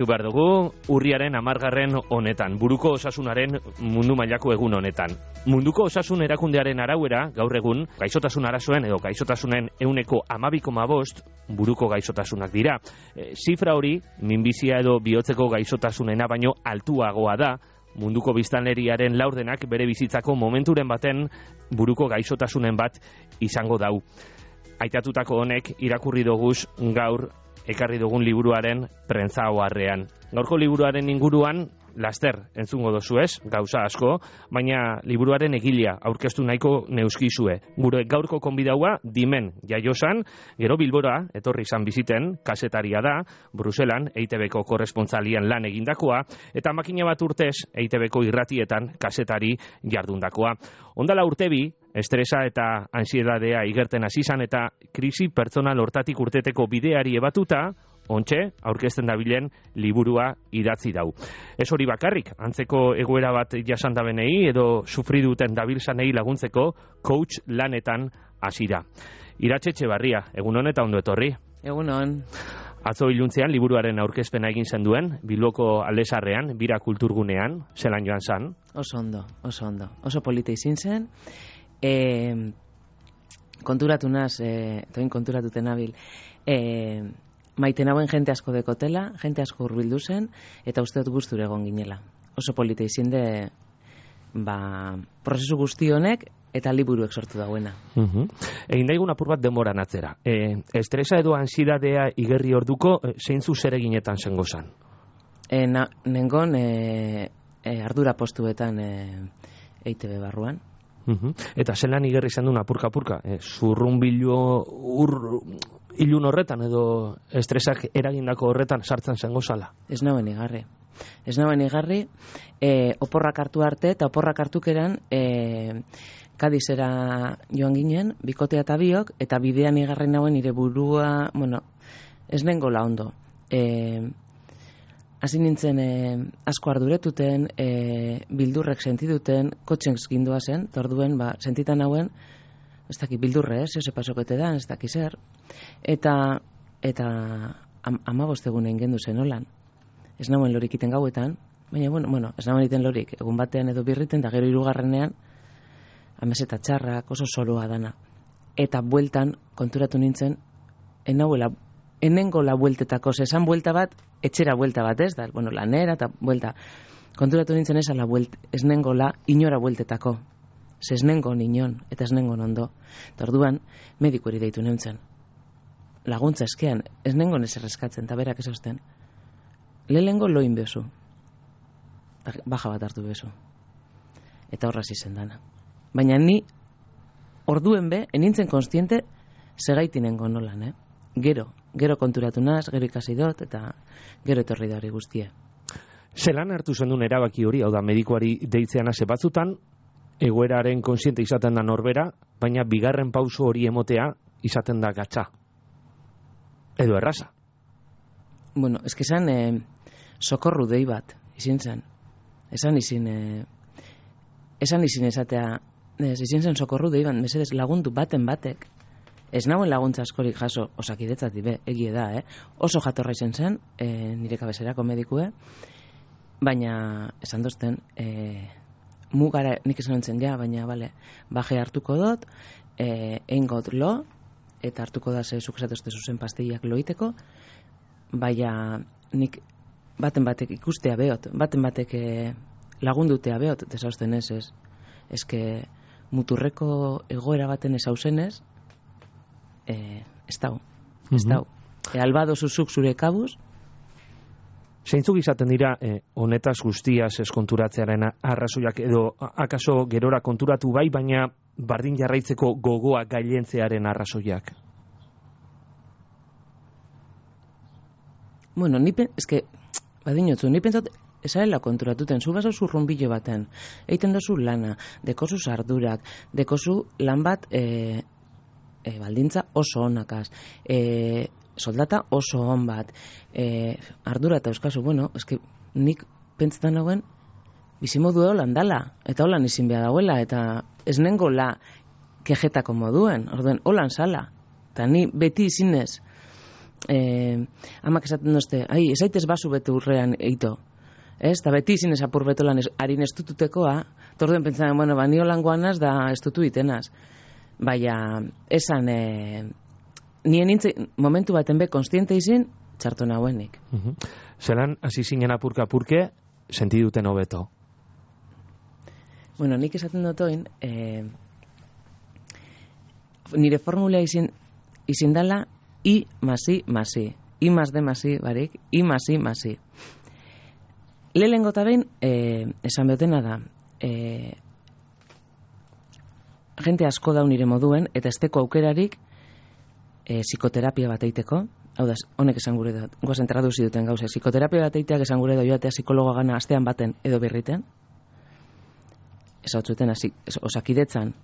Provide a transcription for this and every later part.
Behar dugu urriaren 10. honetan, buruko osasunaren mundu mailako egun honetan. Munduko osasun erakundearen arauera, gaur egun, gaixotasun arazoen edo gaixotasunen 12,5% buruko gaixotasunak dira. Zifra hori, minbizia edo bihotzeko gaixotasunena baino altuagoa da, munduko biztanleriaren laurdenak bere bizitzako momenturen baten buruko gaixotasunen bat izango dau. Aitatutako honek irakurri doguz gaur ekarri dugun liburuaren prentza oharrean. Gaurko liburuaren inguruan laster entzungo dozu ez, gauza asko, baina liburuaren egilea aurkeztu nahiko neuskizue. Gure gaurko konbidaua Dimen Jaiosan, gero Bilbora etorri izan biziten, kasetaria da, Bruselan EITB-ko korrespontsalian lan egindakoa, eta makina bat urtez EITB-ko irratietan kasetari jardundakoa. Ondala urtebi, estresa eta ansiedadea igerten hasi izan eta krisi pertsonal hortatik urteteko bideari ebatuta, ontxe, aurkezten dabilen liburua idatzi dau. Ez hori bakarrik, antzeko egoera bat jasandabenei edo sufri duten dabilzanei laguntzeko coach lanetan hasi da. Iratxe Etxebarria, egun hon eta ondo etorri. Egun hon. Atzo iluntzean liburuaren aurkezpena egin zenduen, Bilboko Aldesarrean, Bira Kulturgunean, zelan joan zan? Oso ondo. Oso polita izin zen. Konturatu naz, toin konturatuten nabil, maite nagoen jente asko dekotela, jente asko hurbildu zen, eta uste dut gustura egon ginela. Oso polita izin de, prozesu guzti honek, eta liburuek sortu dauena. Egin daigun apur bat denboran atzera. Estresa edo ansiedadea igerri orduko, zeintzu zereginetan zengo zan? Nengon ardura postuetan EITB barruan. Eta zelan igerri zen duen apurka-apurka? Zurrunbilu ilun horretan edo estresak eragindako horretan sartzen zengo zala? Ez nauen igarri. Oporrak hartu arte eta oporrak hartukeran Kadizera joan ginen, bikotea eta biok, eta bidean igarri nauen nire burua, ez nengola ondo. Hasi nintzen asko arduretuten, bildurrek sentiduten, kotxen gindua zen, torduen, sentitan hauen, ez daki bildurre, zehose pasokete da, ez daki zer, eta 15 egunen gendu zen holan. Ez nauen lorik iten gauetan, baina, ez nauen iten lorik, egun batean edo birriten, da gero 3. Ameseta txarrak, oso soroa dana. Eta bueltan, konturatu nintzen, enengo la bueltetako, esan buelta bat, etxera buelta bat, ez da, lanera eta buelta. Konturatu nintzen ez nengo la inora bueltetako. Ez nengo ninon, eta ez nengo ondo. Eta orduan, medikuari deitu neuntzen. Laguntza eskean, ez nengo neser eskatzen, eta berak esasten. Lehengo loin bezu. Baja bat hartu bezu. Eta horraz izen dana. Baina ni, orduen enintzen konstiente, segaitinengo nolan, Gero konturatu naz, gero ikasi dut, eta gero etorri da hori guztie. Zelan hartu zendun erabaki hori, hau da, medikuari deitzean hase batzutan, egoeraren konsiente izaten da norbera, baina bigarren pauso hori emotea izaten da gatza. Edo erraza. Ez que esan sokorru dei bat, izin zen. Esan izin esatea, izin zen sokorru dei bat, mesedez lagundu baten batek. Ez nauen laguntza askorik jaso, Osakidetzatik egie da, Oso jatorra izen zen, nire kabeserako medikue, baina esan dozten, mugara, nik esan entzen baina, baje hartuko dut, eingot lo, eta hartuko da zuk esatozte zuzen pastillak loiteko, baina nik baten batek ikustea behot, baten batek lagundutea behot, desausten ez, eske muturreko egoera baten ez hausenez, ez dau. Albado zuzuk zure kabuz. Zeintzuk izaten dira honetaz guztiaz eskonturatzearen arrazoiak edo akaso gerora konturatu bai, baina bardin jarraitzeko gogoa gailentzearen arrazoiak? Ni pentsat esarela konturatuten, zu baso zurrunbilo baten, eiten dozu lana, dekozu sardurak, dekozu lan bat baldintza oso onakaz, soldata oso on bat, ardura eta euskazu, nik pentsetan nagoen, bizimodu holan dala, eta holan izin behar dauela, eta ez nengo la kejetako moduen, orduen, holan sala, eta ni beti izinez, amak esaten dozte, esaitez basu bete urrean eito. Ez, eta beti izin esapur betolan harin estututekoa, torduen pentsatzen, bueno, nio langoanaz da estutu itenaz. Baina, esan, nien nintzen, momentu baten be, konstiente izin, txarto nahuenik. Zeran, hasi zinen apurka-apurke, sentiduten hobeto? Bueno, nik esaten dotoin, nire formula izin dala, I más I más I. I más D más I, barik, I más I más I. Lehenengo eta behin, esan behotena da, jente asko daun nire moduen, eta esteko aukerarik psikoterapia bat eiteko, hau da, honek esan gure da, guazen traduzi duten gauza, psikoterapia bat eiteak esan gure da joatea psikologoa gana astean baten edo berriten, ez hau zuten, osakidetzan,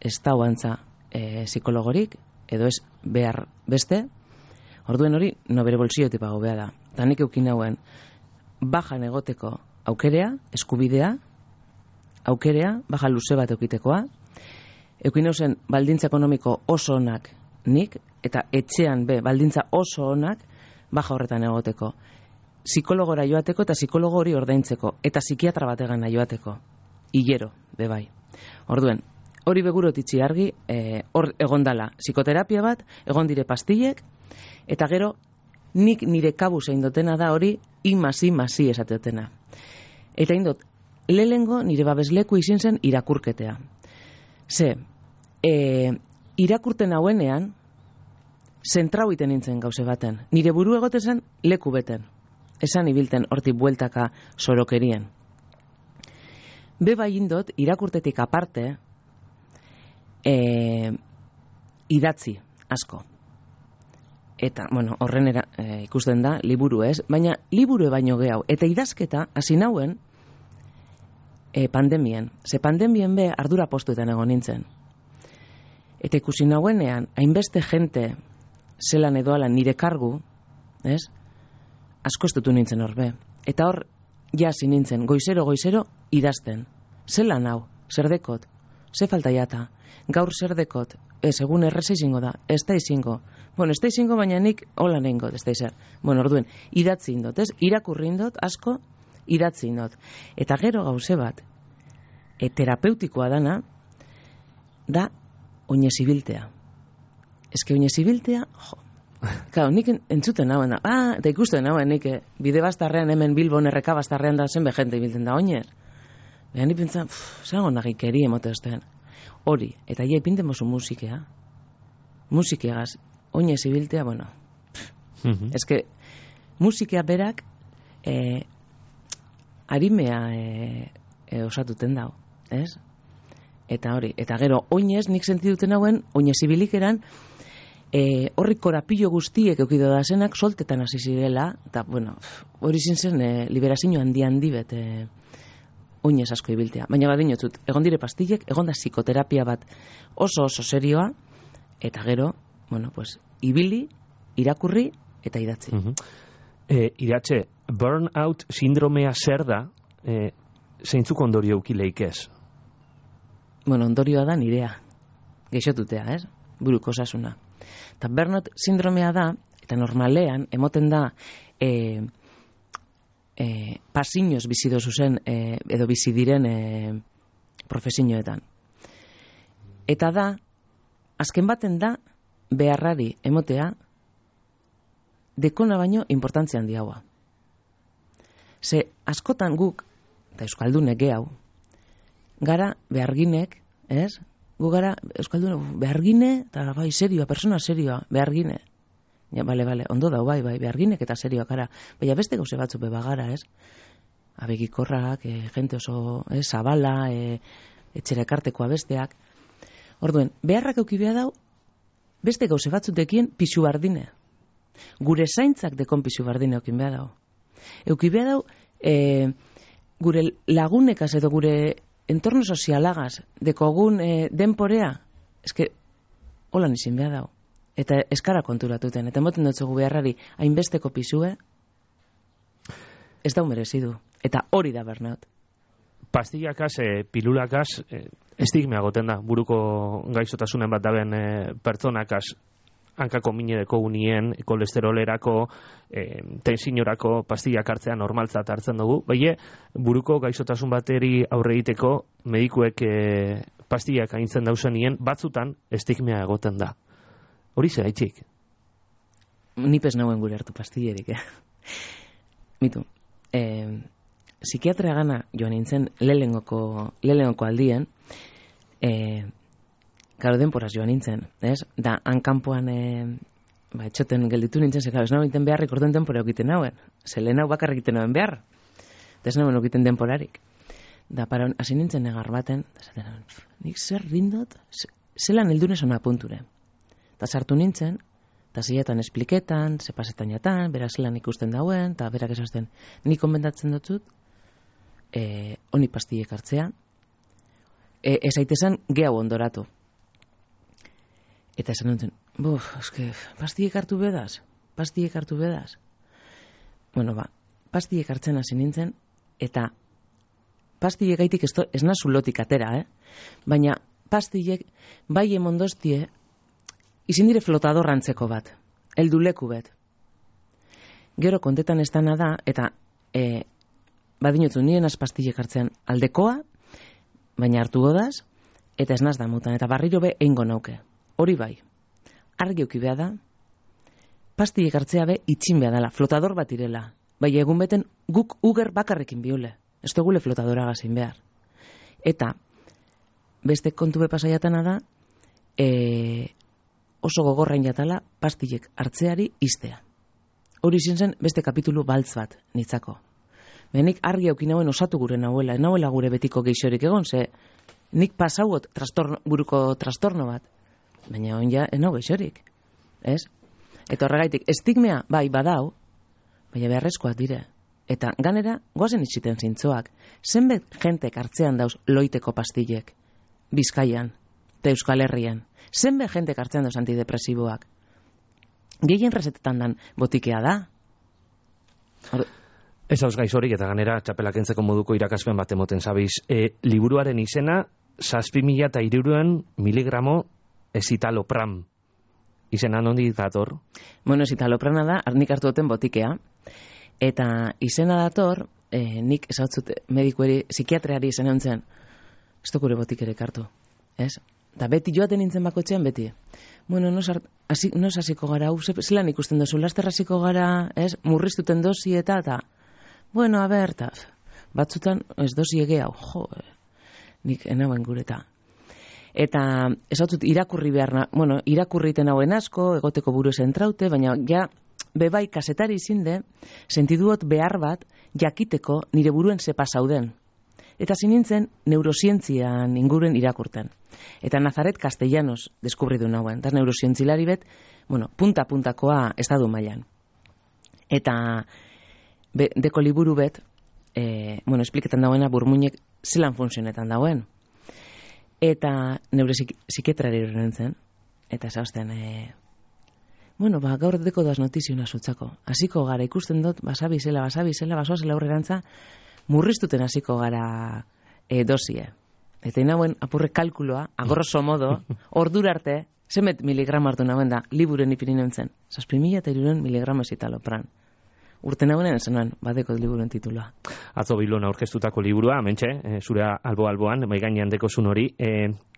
ez da huantza psikologorik, edo ez behar beste, orduen hori, no bere bolsillotik pago behar da. Eta nik eukin hauen, bajan egoteko aukerea, eskubidea, aukerea, baja luze bat eukitekoa, eukin hausen baldintza ekonomiko oso onak nik, eta etxean baldintza oso onak, baja horretan egoteko. Psikologora joateko eta psikologo hori ordaintzeko, eta psikiatra bategana joateko. Hilero, bai. Orduen, hori begurotitzi argi, hor egondala psikoterapia bat, egon dire pastillek, eta gero nik nire kabu zein dotena da hori I+I+I esatetena. Eta indot, lehengo nire babesleku izin zen irakurketea. Ze, irakurten hauenean, zentrau iten nintzen gauze baten. Nire buru egote zen leku beten. Esan ibilten hortik bueltaka sorokerien. Bai indot, irakurtetik aparte, idatzi asko. Eta, bueno, horren ikusten da, liburu ez, baina liburu baino gehau. Eta idazketa, hasi nauen, pandemien. Ze pandemien be, ardura postuetan egon nintzen. Eta ikusi nauenean, hainbeste jente zelan edoalan nire kargu, ez? Asko estutu nintzen horbe. Eta hor, jasi nintzen, goizero, idazten. Zelan hau, zer dekot, ze falta jata, gaur zer dekot, egun erreza izingo da, ez da izingo. Bueno, ez da izingo, baina nik hola nehingot, ez da izan. Bueno, orduen, idatzi indot, ez? Irakurri indot, asko, idatzi indot. Eta gero gauze bat, terapeutikoa dana, da oinez ibiltea. Eske oinez ibiltea, jo. Claro, nik entzuten nauen da, eta ikusten nauen nik, bide bastarrean hemen Bilbon erreka bastarrean da zenbe jente ibiltzen da oinez. Baina nik pentsan, zango nagikeri emote ostean. Hori, eta ia ipinten mozu musikea. Musikeagaz, oinez ibiltea, bueno. Eske, musikea berak, harimea osatuten dau, ez? Eta hori, eta gero, oinez, nik sentiduten hauen, oinez ibilikeran, horri korapillo guztiek eukido da zenak, soltetan hasi zirela, eta, bueno, hori zintzen, liberazio handi bet, oinez asko ibiltea. Baina badinotzut, egon dire pastillek, egon da psikoterapia bat oso serioa, eta gero, bueno, pues, ibili, irakurri, eta idatzi. Idatze, burnout sindromea zer da, zeintzuk ondorio eukileik ez? Bueno, ondorioa da nirea, geixotutea, ez? Buruko osasuna. Eta burnout sindromea da, eta normalean, emoten da, pasinoz bizido zuzen, edo bizidiren profesioetan. Eta da, azken baten da, beharrari emotea, dekona baino importantzia handiagoa. Ze, askotan guk, eta euskaldunek gehau, gara beharginek, ez? Gu gara euskaldunek behargine, eta bai, serioa, persona serioa, behargine. Ja, bale, ondo dau, bai, beharginek eta serioak gara. Baina beste gauze batzu beba gara, ez? Abegikorrak, jente oso, zabala, etxera ekartekoa besteak. Orduen, beharrak eukibea dau, beste gauze batzutekien pixu bardine. Gure zaintzak dekon pixu bardine eukin behar dau. Eukibea dau, gure lagunekaz edo gure entorno sozialagaz dekogun denporea, eske, holan izin behar dau. Eta eskara konturatuten, eta moten dutzugu beharrari hainbesteko pisue, ez dau merezidu. Eta hori da burnout. Pastillakaz, pilulakaz, estigmea goten da, buruko gaixotasunen bat daben pertsonakaz. hankako minedeko unien, kolesterolerako, tensiorako pastillak hartzea normaltzat hartzen dugu, baina buruko gaixotasun bateri aurre egiteko medikuek pastillak aintzen dauzenien, batzutan estigmea egoten da. Hori zeraitzik? Nipez nauen gure hartu pastillerik, Mitu, psikiatria gana joan nintzen lehenengoko aldien, gero denporaz joan nintzen, ez? Da, hankampuan etxoten gelditu nintzen, ze, ez nago egiten beharrik orduan denpora egiten nauen. Ze lehen hau bakarrik egiten nauen behar. Ez nagoen egiten denporarik. Da, para hasi nintzen negar baten, nik zer rindot, zelan heldunez ona punture. Da, sartu nintzen, eta ziletan espliketan, ze pasetan jatan, berak zelan ikusten dauen, eta berak esazten, nik konbentatzen dutut, honi pastillek hartzea, ez aitezan gehiago ondoratu. Eta esan nintzen, pastillek hartu bedaz. Bueno, pastillek hartzen hasi nintzen, eta pastillek gaitik ez nazu lotik atera, baina pastillek bai emondostie izin dire flotador antzeko bat, helduleku bet. Gero kontetan ez dana da, eta badinotzu nien az pastillek hartzean aldekoa, baina hartu godaz, eta ez naz damutan, eta barriro be eingo nauke. Hori bai, argi euki beha da, pastillek hartzea be itxin beha dela, flotador bat irela. Bai, egun beten guk uger bakarrekin biole, ez dugule flotadora gazin behar. Eta beste kontu be pasaiatana da, oso gogorrain jatala pastillek hartzeari iztea. Hori izin zen beste kapitulu baltz bat nitzako. Nik argi euki nauen osatu gure nahuela gure betiko geixorik egon, ze nik pasauot buruko trastorno bat. Baina hon ja, enau geixorik, ez? Eta horregaitik, estigmea, bai, badau, baina beharrezkoak dire. Eta ganera, goazen itxiten zintzoak. Zenbet jentek hartzean dauz loiteko pastillek, Bizkaian, eta Euskal Herrian. Zenbet jentek hartzean dauz antidepresiboak. Gehien resetetan dan botikea da. Ez hauz gaizorik eta ganera txapelak entzeko moduko irakaspen bat emoten zabiz. Liburuaren izena, 7.300 miligramo escitalopram. Izena nondi dator? Bueno, escitaloprana da, nik hartu duten botikea. Eta izena dator, nik esautzut medikueri, psikiatreari izena ontzen, ez dukure botikerek hartu. Ez? Da beti joaten nintzen bakotxean, beti. Bueno, nos hasiko gara, zelan ikusten dozu, laster hasiko gara, ez? Murriztuten dosi eta, bueno, a ber, batzutan ez dosi egea, nik enauen gureta. Eta esautut irakurri behar, irakurriten hauen asko, egoteko buru zentraute, baina ja, bebai kasetari izinde, sentiduot behar bat, jakiteko nire buruen ze pasauden. Eta zinintzen neurosientzian inguren irakurten. Eta Nazaret Castellanos deskubritu nauen, eta neurosientzilari bet, punta-puntakoa estadu mailan. Eta deko liburu bet, espliketan dauena burmuinek zelan funtzionetan dauen. Eta neure psikiatrari nintzen, eta zausten, gaur deko doaz notiziona zutzako. Hasiko gara ikusten dut, basabizela, basoazela aurrerantza, murriztuten hasiko gara dosie. Eta inauen apurre kalkuloa, agrosso modo, ordura arte, zemet miligramo hartu nauen da, liburen ipini nintzen, 7.300 miligramo escitalopram. Urte nagoenen esanuan, badeko liburuen titulua. Atzo Bilbon aurkeztutako liburua, mentxe, zure albo-alboan, maigainean dekozun hori,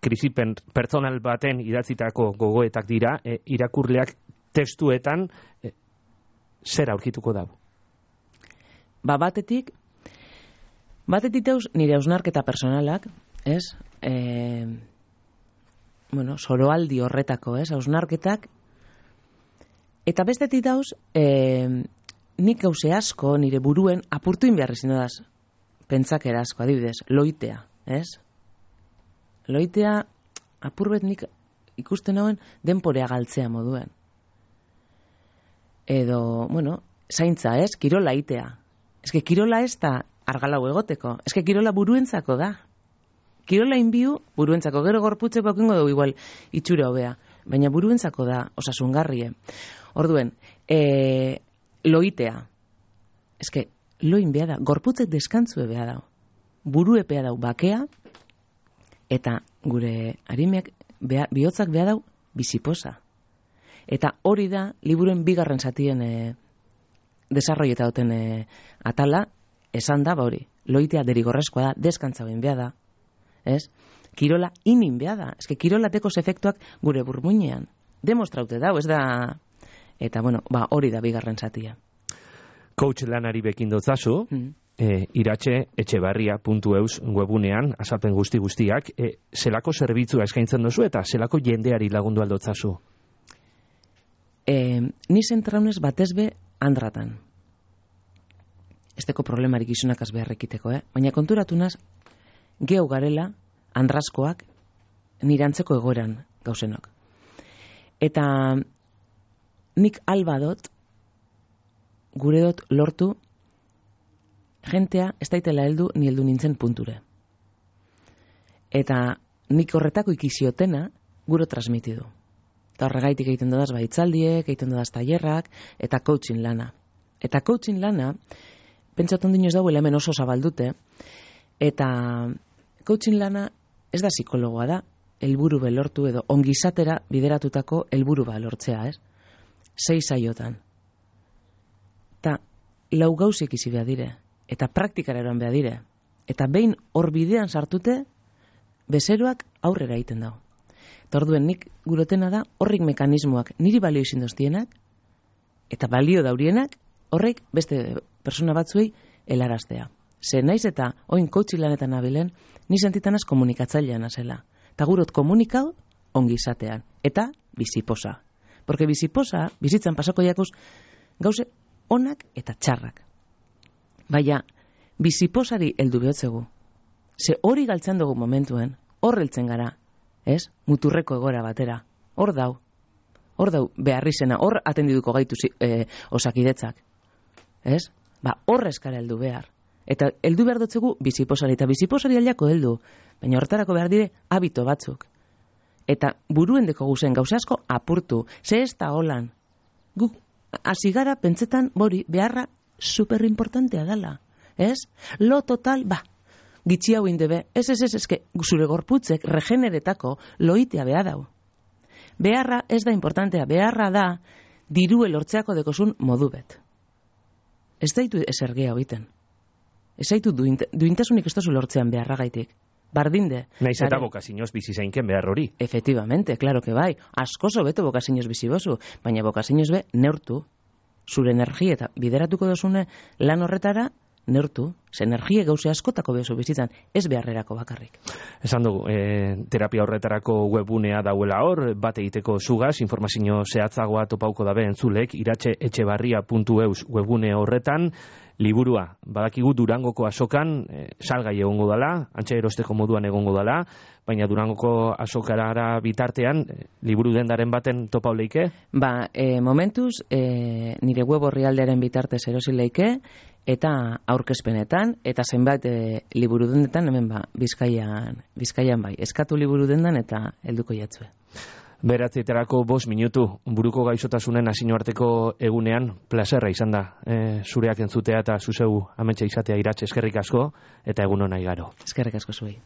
krisi pertsonal baten idatzitako gogoetak dira, irakurleak testuetan, zer aurkituko dago? Batetik dauz nire hausnarketa personalak, ez? Soroaldi horretako, ez? Hausnarketak. Eta bestetik dauz, nik gauze asko nire buruen apurtuin behar izin dodaz. Pentsakera asko, adibidez, loitea, ez? Loitea, apurbet nik ikusten hauen denporea galtzea moduen. Edo, zaintza, ez? Kirola itea. Ez que kirola ez da argalau egoteko. Ez que kirola buruentzako da. Kirola inbiu buruentzako. Gero gorputzeko okingo dugu igual itxura hobea. Baina buruentzako da osasungarrie. Orduen, loitea. Ez que loin beha da. Gorputzek deskantzue beha da. Burue beha dau bakea. Eta gure harimeak bihotzak beha dau biziposa. Eta hori da, liburuen bigarren zatien desarroieta duten atala, esan da, hori, loitea derigorrezkoa da, deskantza ben behar da, ez? Kirola inin behar da, eske kirolatekos efektuak gure burmuinean, demostraute da, ez da, eta bueno, hori da bigarren zatia. Coach lanari bekin dotzazu, iratxe-etxebarria.eus webunean, azalpen guztiak, zelako zerbitzua eskaintzen dozu eta zelako jendeari lagundu aldotzazu? Ni zentraunez batezbe andratan. Esteko problemarik izunakaz beharrekiteko, baina konturatunaz, geu garela, andrazkoak, nirantzeko egoeran gauzenok. Eta nik albadot, gure dot lortu, jentea ez daitela heldu ni heldu nintzen punture. Eta nik horretako ikiziotena guro transmitidu. Eta horregaitik egiten dodaz baitzaldiek, egiten dodaz tailerrak, eta coaching lana. Eta coaching lana, pentsatzen dinoz dauela hemen oso zabaldute, eta coaching lana ez da psikologoa da, helburu belortu edo ongizatera bideratutako helburu lortzea, ez? 6 saiotan. Eta 4 gauzek izi behar dire, eta praktikara eroan behar dire, eta behin hor bidean sartute, bezeroak aurrera egiten dago. Eta orduen nik gurotena da, horrik mekanismoak niri balio izin doztienak, eta balio daurienak, horrek beste persona batzuei helaraztea. Ze naiz eta oin coaching lanetan nabilen, ni sentitanaz komunikatzailean azela. Eta gurot komunikau ongizatean. Eta biziposa. Porque biziposa, bizitzan pasako jakuz, gauze onak eta txarrak. Baina, biziposari heldu behotzegu. Ze hori galtzen dugu momentuen, hor heltzen gara, ez? Muturreko egora batera. Hor dau beharrizena, hor atendiduko gaitu osakidetzak. Ez? Hor eskara heldu behar. Eta heldu behar dutzegu biziposari, eta biziposari aldako heldu. Baina horretarako behar dire habito batzuk. Eta buruen deko guzen gauza asko apurtu. Ze ez da holan. Guk azigara pentsetan bori beharra superimportantea dela. Ez? Lo total, gitxi hau indebe. Ez, eske zure gorputzek regeneretako loitea behar dau. Beharra ez da importantea. Beharra da dirue lortzeako dekozun modu bet. Ez daitu esergea hoiten. Ez zaitu duintasunik ez tozu lortzean beharra gaitik. Bardinde. Naiz eta bokazinoz bizi zainken behar hori. Efectivamente, claro que bai. Askoso beto bokazinoz bizi bozu, baina bokazinoz be neurtu. Zure energia eta bideratuko dozune lan horretara neurtu. Ze energia gauze askotako bezu bizitzan, ez beharrerako bakarrik. Esan dugu, terapia horretarako webunea dauela hor, bat egiteko zugaz, informazio zehatzagoa topauko dabe entzulek, iratxe-etxebarria.eus webune horretan, liburua, badakigu Durangoko azokan salgai egongo dala, antxe erosteko moduan egongo dala, baina Durangoko azokarara bitartean, liburu dendaren baten topau leike? Momentuz, nire web orrialdearen bitartez erosi leike, eta aurkezpenetan, eta zenbait liburu dendetan, hemen Bizkaian bai. Eskatu liburu dendan eta helduko jatzue. Beratzietarako 5 minutu, buruko gaixotasunen hasino arteko egunean, plazerra izan da, zureak entzutea eta zuzeu ametxe izatea Iratxe, eskerrik asko, eta egun hona igaro. Eskerrik asko zuei.